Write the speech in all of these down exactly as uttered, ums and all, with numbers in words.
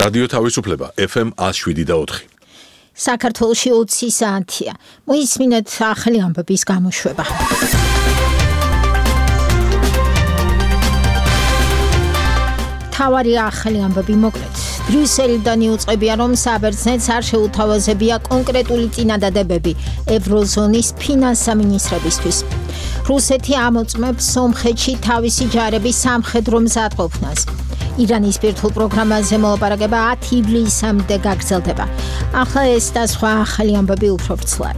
რადიო თავისუფლება F M one oh seven და four. საქართველოში ოცი საათია. მოისმინეთ ახალი ამბების გამოშვება. თავარი ახალი ამბები მოკლედ. ბრიუსელიდან იუწყებია, რომ საბერძნეთს არ შეუთავაზებია კონკრეტული წინადადებები ევროზონის ფინანსამინისტრებისთვის. რუსეთი ამოწმებს სომხეთში თავისი ჯარების სამხედრო მზადყოფნას. ირანის ბირთვულ პროგრამაზე მოლაპარაკება ათი ივლისამდე გაგრძელდება. ახლა ეს და სხვა ახალი ამბები უფრო ვრცლად.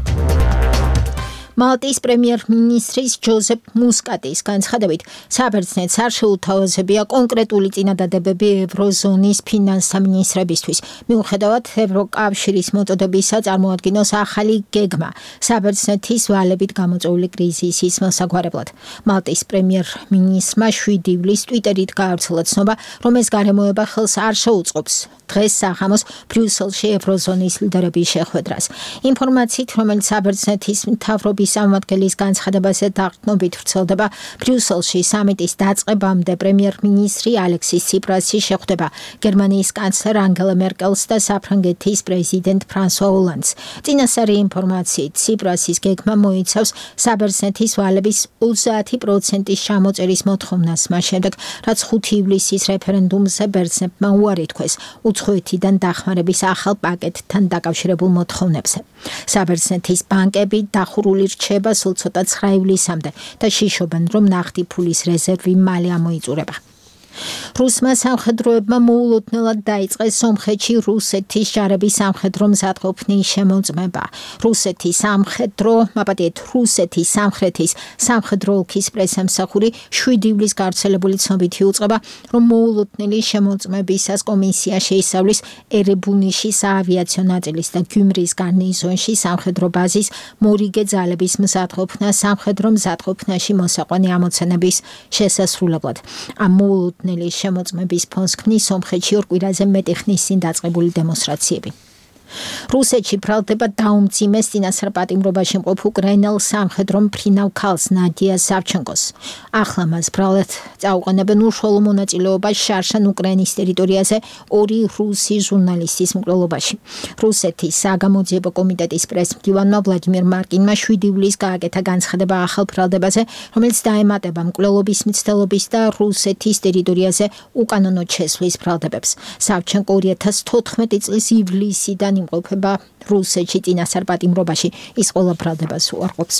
მალტის პრემიერ-მინისტრის ჯოზეფ მუსკატის განცხადებით, საბერძნეთს არ შეუთავაზებია კონკრეტული წინადადებები ევროზონის ფინანსამინისტრებისთვის. მიუხედავად ევროკავშირის მოწოდებისა წარმოადგინოს ახალი გეგმა საბერძნეთის ვალებით გამოწვეული კრიზისის მოსაგვარებლად. მალტის პრემიერ-მინისტრმა შვიდი ივლისს ტვიტერით გაავრცელა ცნობა, რომ ეს გარემოება ხელს არ შეუწყობს დღეს საღამოს ბრიუსელში ევროზონის ლიდერების შეხვედრას. ინფორმაციით, რომელიც საბერძნეთის მთავრობის სამმართველის განცხადებაზე დაყრდნობით ვრცელდება, ბრიუსელში სამიტის დაწყებამდე პრემიერ-მინისტრი ალექსის ციპრასი შეხვდება გერმანიის კანცლერ ანგელა მერკელს და საფრანგეთის პრეზიდენტ ფრანსუა ოლანდს. წინასწარი ინფორმაციით, ციპრასის გეგმა მოიცავს საბერძნეთის ვალების ოცდაათი პროცენტის ჩამოწერის მოთხოვნას, მას შემდეგ, რაც ხუთი ივლისის რეფერენდუმზე ბერძნებმა უარი თქვეს უცხოეთიდან დახმარების ახალ პაკეტთან დაკავშირებულ მოთხოვნებზე. საბერძნეთის ბანკები დახურული რჩება სულ ცოტა ცხრა ივლისამდე და შიშობენ, რომ ნახტი ფულის რეზერვი მალე ამოიწურება. რუსმა სამხედროებმა მოულოდნელად დაიწყეს სომხეთში რუსეთის ჯარების სამხედრო მზადყოფნის შემოწმება. რუსეთის სამხედრო, მაპატიეთ, რუსეთის სამხრეთის სამხედრო ოლქის პრესამსახური შვიდი ივლისს გავრცელებული ცნობით იუწყება, რომ მოულოდნელი შემოწმებისას კომისია შეისწავლის ერებუნიშის საავიაციო ნაწილის და გიუმრის გარნიზონში სამხედრო ბაზის მორიგე ძალების მზადყოფნა სამხედრო მზადყოფნაში მოსაყვანი ამოცანების შესასრულებლად. ამ მოულოდნელი შემოწმების ფონს ქმნის სომხეთში ორ კვირაზე მეტი ხნის წინ დაწყებული დემონსტრაციები. რუსეთში ბრალდება დაუმძიმეს წინასწარ პატიმრობაში მყოფ უკრაინელ სამხედრო მფრინავ ქალს ნადია სავჩენკოს. ახლა მას ბრალად წაუყენებენ უშუალო მონაწილეობას შარშან უკრაინის ტერიტორიაზე ორი რუსი ჟურნალისტის მკვლელობაში. რუსეთის საგამოძიებო კომიტეტის პრესმდივანმა ვლადიმერ მარკინმა შვიდი ივლისს გააკეთა განცხადება ახალ ბრალდებაზე, რომელიც დაემატება მკვლელობის მცდელობის და რუსეთის ტერიტორიაზე უკანონოდ შესვლის ბრალდებებს. სავჩენკო ორი ათას თოთხმეტი წლის ივლისიდან იმყოფება რუსეთში წინასწარ პატიმრობაში, ის ყველა ბრალდებას უარყოფს.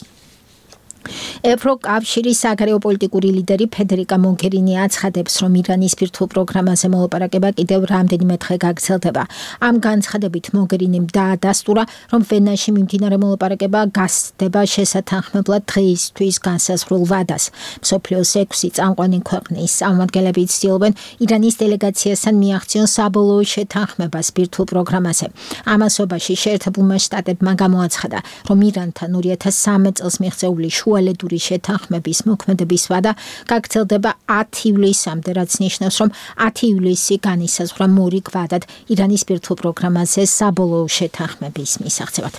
ევროკავშირის საგარეო პოლიტიკური ლიდერი ფედერიკა მოგერინი აცხადებს, რომ ირანის ბირთვულ პროგრამაზე მოლაპარაკება კიდევ რამდენიმე დღე გაგრძელდება. ამ განცხადებით მოგერინიმ დაადასტურა, რომ ვენაში მიმდინარე მოლაპარაკება გასცდება შესათანხმებლად დღეისთვის განსაზღვრულ ვადას. მსოფლიოს ექვსი წამყვანი ქვეყნის წარმომადგენლები ცდილობენ ირანის დელეგაციასთან მიაღწიონ საბოლოო შეთანხმებას ბირთვულ პროგრამაზე. ამასობაში შეერთებულმა შტატებმა გამოაცხადა, რომ ირანთან ორი ათას სამი წელს მიღწეული შუალედური შეთანხმების მოქმედების ვადა გაგრძელდება ათი ივლისამდე, რაც ნიშნავს, რომ ათი ივლისი განისაზღვრა მორიგ ვადად ირანის ბირთვულ პროგრამაზე საბოლოო შეთანხმების მისაღწევად.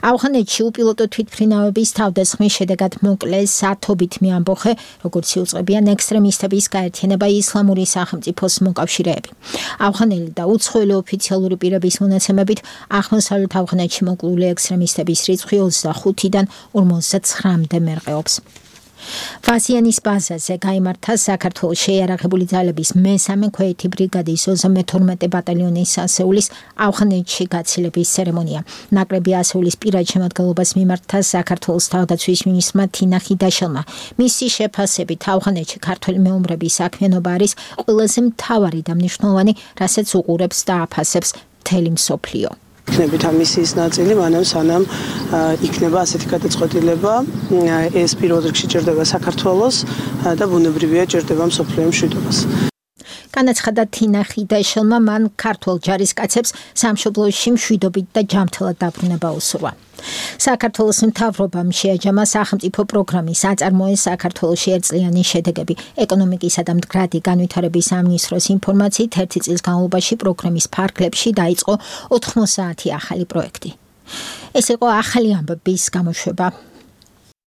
ავღანეთში უპილოტო თვითმფრინავების თავდასხმის შედეგად მოკლეს ათობით მეამბოხე, როგორც იუწყებიან ექსტრემისტების გაერთიანება ისლამური სახელმწიფოს მოკავშირეები. ავღანელი და უცხოელი ოფიციალური პირების მონაცემებით აღმოსავლეთ ავღანეთში მოკლული ექსტრემისტების რიცხვი ოცდახუთიდან ორმოცდაცხრამდე მერყეობს. ვაზიანის ბაზაზე გაიმართა საქართველოს შეიარაღებული ძალების მესამე ქვეითი ბრიგადის ოცდამეთორმეტე ბატალიონის ასეულის ავღანეთში გაცილების ცერემონია. ნაკრები ასეულის პირად შემადგენლობას მიმართა საქართველოს თავდაცვის მინისტრმა თინა ხიდაშელმა. მისი შეფასებით ავღანეთში ქართველი მეომრების საქმიანობა არის ყველაზე მთავარი და მნიშვნელოვანი, რასაც უყურებს და აფასებს მთელი მსოფლიო. იქნებით ამისიის ნაწილი, მანამ სანამ იქნება ასეთი გადაწყვეტილება, ეს პირველ რიგში ჭირდება საქართველოს და ბუნებრივია ჭირდება მსოფლიო მშვიდობას. განაცხადა თინა ხიდაშელმა, მან ქართველ ჯარისკაცებს სამშობლოში მშვიდობით და ჯანმრთელად დაბრუნება უსურვა. საქართველოს მთავრობამ შეაჯამა სახელმწიფო პროგრამის აწარმოეს საქართველოში ერთწლიანი შედეგები. ეკონომიკისა და მდგრადი განვითარების სამინისტროს ინფორმაციით ერთი წლის განმავლობაში პროგრამის ფარგლებში დაიწყო ოთხმოცდაათი ახალი პროექტი. ეს იყო ახალი ამბების გამოშვება.